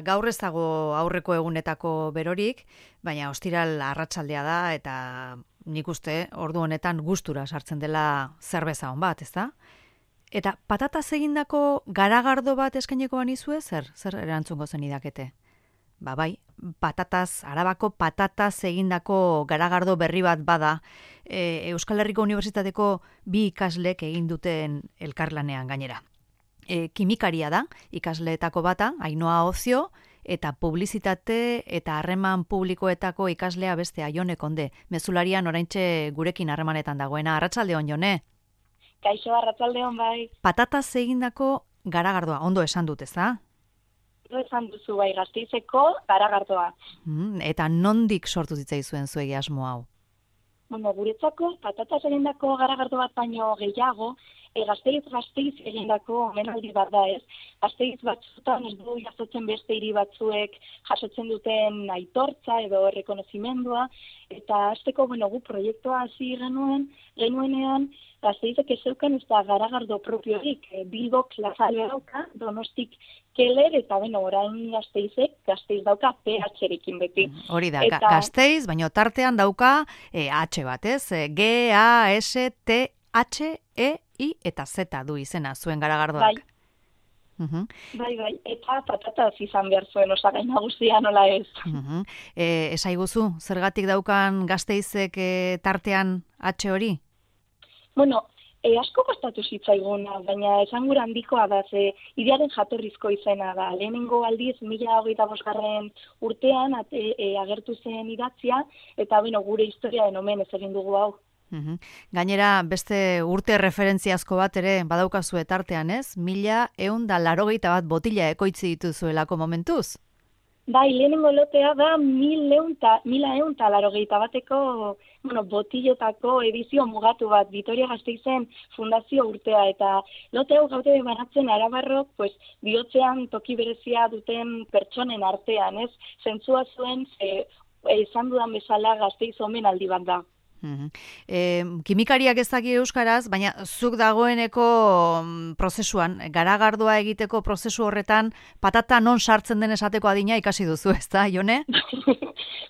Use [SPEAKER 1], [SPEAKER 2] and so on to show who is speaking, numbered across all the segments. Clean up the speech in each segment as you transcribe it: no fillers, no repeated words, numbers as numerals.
[SPEAKER 1] Gaur ez dago aurreko egunetako berorik, baina ostiral arratsaldea da eta nik uste ordu honetan gustura sartzen dela zerbeza on bat, ezta? Eta patataz egindako garagardo bat eskaineko banizue, zer erantzungo zenidakete? Bai, Arabako patataz egindako garagardo berri bat bada, Euskal Herriko Unibertsitateko bi ikaslek egin duten elkarlanean gainera. Kimikaria da, ikasleetako bata, Ainhoa Ozio, eta publizitate eta harreman publikoetako ikaslea beste Jone Konde. Mezularian oraintxe gurekin harremanetan dagoena. Arratsalde on, Jone.
[SPEAKER 2] Kaixo, arratsalde on, bai.
[SPEAKER 1] Patataz egindako garagardoa, ondo esan dut, ezta?
[SPEAKER 2] Ondo esan duzu, bai, Gasteizeko garagardoa.
[SPEAKER 1] Eta nondik sortu zitzaizuen zuegi asmo hau?
[SPEAKER 2] Guretzako patataz egindako garagardo bat baino gehiago, Gasteiz egindako omenaldi bat da, ez? Gasteiz batzutan ez du jasotzen beste hiri batzuek jasotzen duten aitortza edo errekonozimendua, eta hasteko, gu proiektua hasi genuenean, Gasteizek ez zeukan ez da garagardo propiorik, Bilbok Lazale dauka, Donostik Keller, eta orain Gasteiz dauka PH-rekin beti.
[SPEAKER 1] Hori da, Gasteiz, baina tartean dauka H bat, ez? G-A-S-T-H-E-I eta Z du izena, zuen garagardoak.
[SPEAKER 2] Bai, eta patataz izan behar zuen osagai nagusia nola ez.
[SPEAKER 1] Esaiguzu, zergatik daukan Gasteizek tartean H hori?
[SPEAKER 2] Asko kostatu zitzaiguna, baina esangura handikoa da, idearen jatorrizko izena da. Lehenengo aldiz, 1025. urtean agertu zen idatzia, eta gure historiaren omenez egin dugu hau.
[SPEAKER 1] Gainera, beste urte referentziazko bat ere badaukazue tartean, ez? 1181 botila ekoitzi dituzuelako momentuz?
[SPEAKER 2] Bai, lehenengo lotea da 1181 botilotako edizio mugatu bat, Vitoria Gasteizen fundazio urtea, eta lote hau gaude banatzen arabarrok, bihotzean toki berezia duten pertsonen artean, ez? Zentzua zuen, esan dudan bezala Gasteiz omenaldi bat da.
[SPEAKER 1] Kimikariak ez daki euskaraz, baina zuk dagoeneko prozesuan, garagardoa egiteko prozesu horretan, patata non sartzen den esateko adina ikasi duzu, ez da, Jone?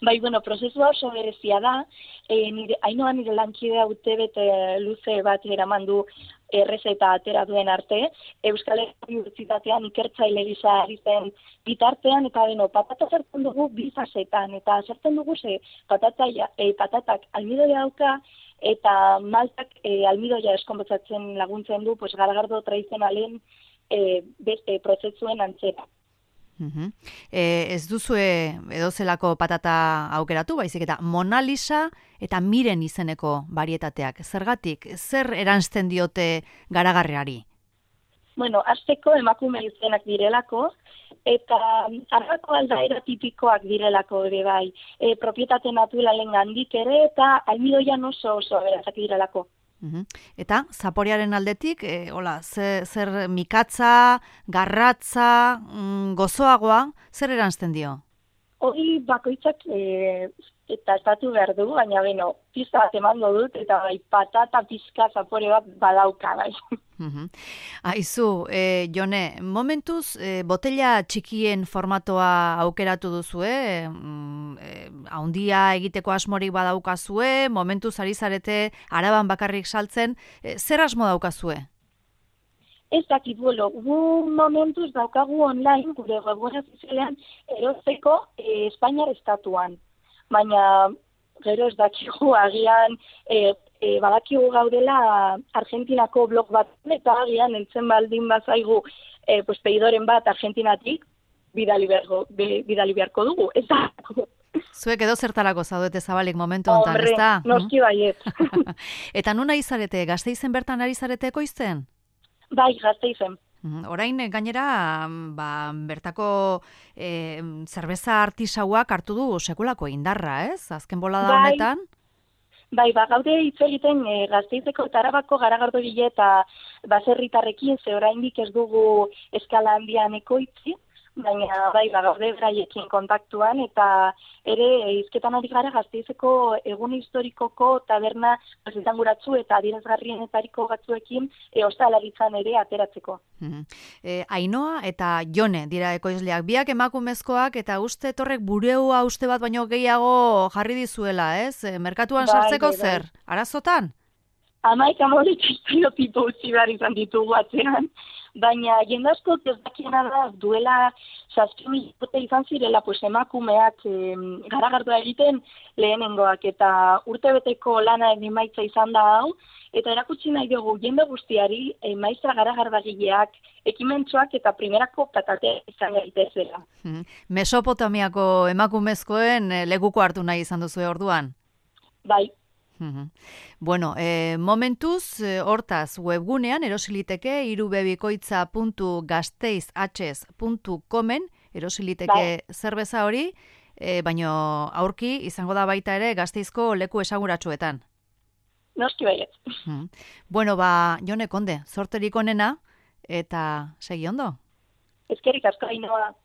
[SPEAKER 2] Bai, prozesua oso berezia da, Ainhoa nire lankidea urtebete luze bat eramandu errezeta atera duen arte, Euskal Herriko Unibertsitatean ikertzaile gisa ari zen bitartean, eta patata zertzen dugu bi fasetan, eta zertzen dugu patatak almidoia dauka, eta maltak almidoia eskonbotzatzen laguntzen du, garagardo tradizionalen prozesuen antzera.
[SPEAKER 1] Ez duzue edozelako patata aukeratu, baizik eta Mona Lisa eta Miren izeneko varietateak. Zergatik, zer eranzten diote garagarriari?
[SPEAKER 2] Hasteko emakume izenak direlako, eta Arabako aldaera tipikoak direlako ere bai. Propietate naturalen gandik ere, eta almidoian oso aberatsak direlako.
[SPEAKER 1] Eta zaporearen aldetik, zer mikatza, garratza, gozoagoa, zer eranzten dio?
[SPEAKER 2] Hori bakoitzak eta estatu behar du, baina pizka bat emango dut, eta patata pizka zapore bat badauka, bai.
[SPEAKER 1] Aizu, Jone, momentuz botella txikien formatoa aukeratu duzue, haundia egiteko asmorik badaukazue, momentuz ari zarete Araban bakarrik saltzen, zer asmo daukazue?
[SPEAKER 2] Ez dakit, gu momentuz daukagu online, gure webgunean ofizialean erosteko Espainiar estatuan. Baina gero ez dakigu agian badakigu gaudela Argentinako blog bat, eta agian entzen baldin bazaigu peidoren bat Argentinatik bidali beharko dugu. Ez da.
[SPEAKER 1] Zuek edo zertarako zaudete zabalik momentu honetan, ez da?
[SPEAKER 2] Noski baiet.
[SPEAKER 1] Eta nuna izarete, Gasteizen bertan ari zarete ekoizten?
[SPEAKER 2] Bai, Gasteizen.
[SPEAKER 1] Orain gainera bertako zerbeza artisauak hartu du sekulako indarra, ez? Azken bolada honetan?
[SPEAKER 2] Bai, gaude hitz egiten Gasteizeko eta Arabako garagardogile eta baserritarrekin, ze oraindik ez dugu eskala handian ekoitzi, baina bai, gaude beraiekin kontaktuan, eta ere hizketan ari gara Gasteizeko egun historikoko taberna esanguratsu eta adierazgarrienetariko batzuekin ostalaritzan ere ateratzeko.
[SPEAKER 1] Ainoa eta Jone dira ekoizleak, biak emakumezkoak, eta uste torrek bureua uste bat baino gehiago jarri dizuela, ez? Merkatuan sartzeko zer? Arazotan?
[SPEAKER 2] Amaik amorik estereotipo utzi behar izan ditugu atzean, baina jende asko ez dakiena da duela 7.000 urte izan zirela emakumeak garagardoa egiten lehenengoak, eta urtebeteko lanaren emaitza izan da hau, eta erakutsi nahi dugu jende guztiari maistra garagardagileak, ekimentsuak eta primerako patateak izan gaitezela.
[SPEAKER 1] Mesopotamiako emakumezkoen lekuko hartu nahi izan duzu orduan?
[SPEAKER 2] Bai.
[SPEAKER 1] Bueno, momentuz, hortaz, webgunean erosiliteke irubebikoitza.gasteizhs.comen erosiliteke zerbeza hori, baino aurki izango da baita ere Gasteizko leku esanguratsuetan.
[SPEAKER 2] Noski baiet.
[SPEAKER 1] Bueno, Jone Konde, zorterik onena eta segi ondo.
[SPEAKER 2] Eskerrik asko Ainhoa.